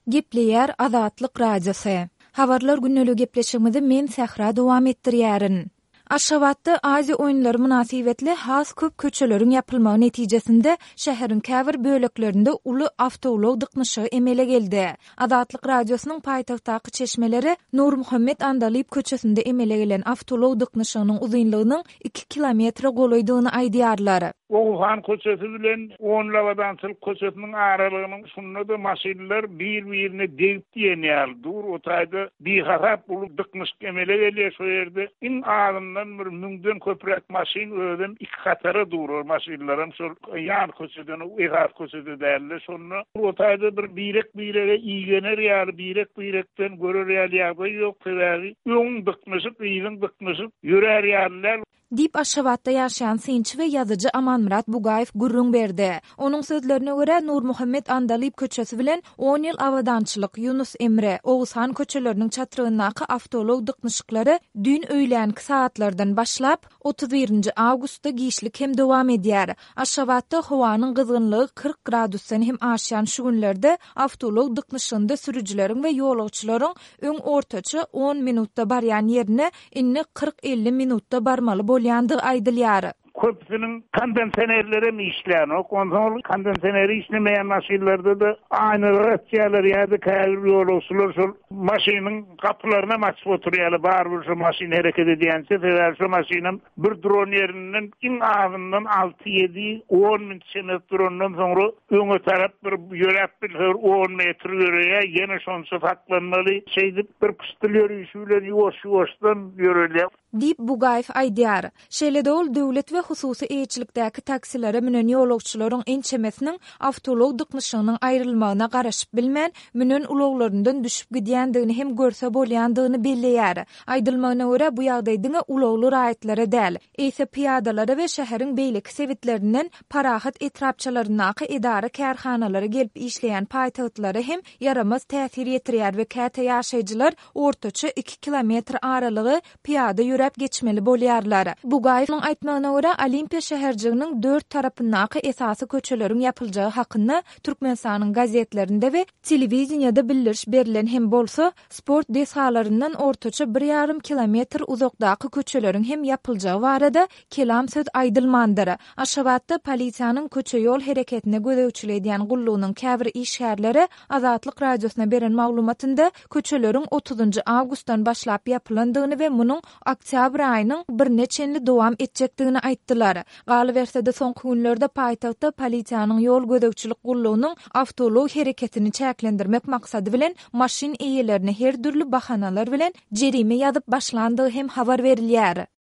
Gepleýär Azatlyk Radiosy. Habarlar gündeligi gepleşigimizi men Sähra dowam etdirýärin. Aşgabatda Aziýa oýunlary mynasybetli has köp köçeleriň ýapylmagy netijesinde şäheriň käbir böleklerinde uly awtoulag dyknyşygy emele geldi. Azatlyk Radiosynyň paýtagtdaky çeşmeleri Nurmuhammet Andalyp köçesinde emele gelen awtoulag dyknyşygynyň uzynlygynyň iki kilometre golaýdygyny aýdýarlar. Oguzhan köçesi bilen Onlabadançylyk köçesiniň aralygynyň şunda-da maşynlar bir-birine degip diýen ýaly dur. O taýda bihasap uly dyknyşyk emele gelýär. Şo ýerde iň azyndan bir müňden köpräk maşyn özem iki hatara dur. Ol maşynlaram şol ýan köçeden, esasy köçede däl-de. Şonda o taýda bir birek-birege igener ýaly, birek-birekden görer ýaly ýagdaý ýok. Sebäbi öňüň dyknyşyk, yzyň dyknyşyk, ýörär ýaly däl. Diýip, Aşgabatda ýaşaýan synçy we ýazyjy Amanmyrat Bugaýew gürrüň berdi. Onuň sözlerine görä, Nurmuhammet Andalyp köçesi bilen On ýyl Abadançylyk, Ýunus Emre, Oguzhan köçeleriniň çatrygyndaky awtoulag dyknyşyklary düýn öýlänki sagatlardan başlap, 31 nji awgustda giçlik hem dowam edýär. Aşgabatda howanyň gyzgynlygy 40 gradusdan hem aşýan şu günlerde awtoulag dyknyşygynda sürüjileriň we ýolagçylaryň öň ortaça on minutda barýan ýerine indi 40-50 minutda barmaly bolýandygy aýdylýar. Köpüsiniň kondensionerlerem işlänok. Onsoň ol kondensioneri işlemeýän maşynlarda-da aýnalary açýarlar ýa-da käbir ýolagçylar şol maşynyň gapylarynam açyp oturýarlar, barybir şo maşyn hereket edýänçä, sebäbi şo maşynam bir duran ýerinden iň azyndan alty, ýedi, on minut çemesi durandan soňra öňe tarap bir ýöräp bilse bir on metr ýöreýär, ýene şonça saklanmaly. Şeýdip bir pyşdyl ýörişi bilen ýuwaş-ýuwaşdan ýörelýär. Diýip, Bugaýew aýdýar. Şeýle-de ol döwlet we hususy eýeçilikdäki taksilere münen ýolagçylaryň ençemesiniň awtoulag dyknyşygynyň aýrylmagyna garaşyp bilmän, münen ulaglaryndan düşüp gidýändigini hem görse bolýandygyny belleýär. Aýdylmagyna görä, bu ýagdaý diňe ulagly raýatlara däl, eýse pyýadalara we şäheriň beýleki sebitlerinden Parahat etrapçalaryndaky edara-kärhanalara gelip işleýän paýtagtlylara hem ýaramaz täsir ýetirýär we käte ýaşaýjylar ortaça iki kilometr aralygy pyýada ýöräp geçmeli bolýarlar. Bugaýewiň aýtmagyna görä, Olimpiýa şäherjiginiň dört tarapyndaky esasy köçeleriň ýapyljagy hakynda Türkmenistanyň gazetlerinde we telewideniýede bildiriş berlen hem bolsa, sport desgalaryndan ortaça bir ýarym kilometr uzakdaky köçeleriň hem ýapyljagy barada kelam söz aýdylmandyr. Aşgabatda polisiýanyň köçe-ýol hereketine gözegçilik edýän gullugynyň käbir işgärleri Azatlyk Radiosyna beren maglumatynda köçeleriň otuzynjy awgustdan başlap ýapylandygyny we munuň oktýabr aýynyň birine çenli dowam etjekdigini aýtdylar. Galyberse-de, soňky günlerde paýtagtda polisiýanyň ýol gözegçilik gullugynyň awtoulag hereketini çäklendirmek maksady bilen maşyn eýelerine her dürli bahanalar bilen jerime ýazyp başlandygy hem habar berilýär.